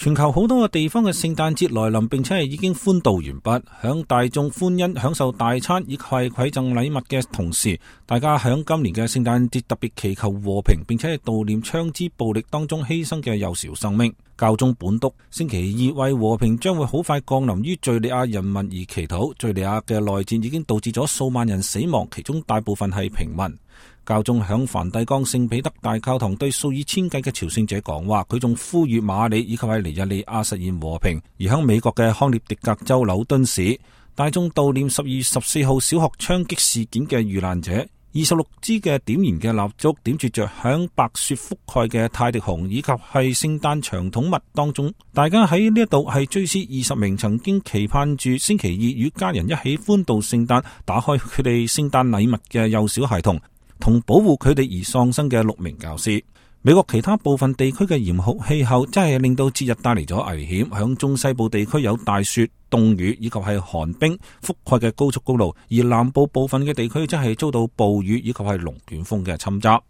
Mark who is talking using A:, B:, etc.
A: 全球好多個地方嘅聖誕節來臨，並且係已經歡度完畢，響大眾歡欣享受大餐以及係饋贈禮物嘅同時，大家響今年嘅聖誕節特別祈求和平，並且係悼念槍支暴力當中犧牲嘅幼小生命。教宗本篤星期二為和平將會好快降臨於敘利亞人民而祈禱。敘利亞嘅內戰已經導致咗數萬人死亡，其中大部分係平民。教宗響梵蒂岡聖彼得大教堂對數以千計嘅朝聖者講話，佢仲呼籲馬里以及係尼日利亞實現和平。而響美國嘅康涅狄格州紐敦市，大眾悼念12月14號小學槍擊事件嘅遇難者，26支嘅點燃嘅蠟燭點綴着響白雪覆蓋嘅泰迪熊以及係聖誕長筒襪當中，大家喺呢一度係追思20名曾經期盼住星期二與家人一起歡度聖誕，打開佢哋聖誕禮物嘅幼小孩童，同保護佢哋而喪生嘅6名教師。美國其他部分地區嘅嚴酷氣候真係令到節日帶嚟咗危險，響中西部地區有大雪、凍雨以及係寒冰覆蓋嘅高速公路，而南部部分嘅地區真係遭到暴雨以及係龍捲風嘅侵襲。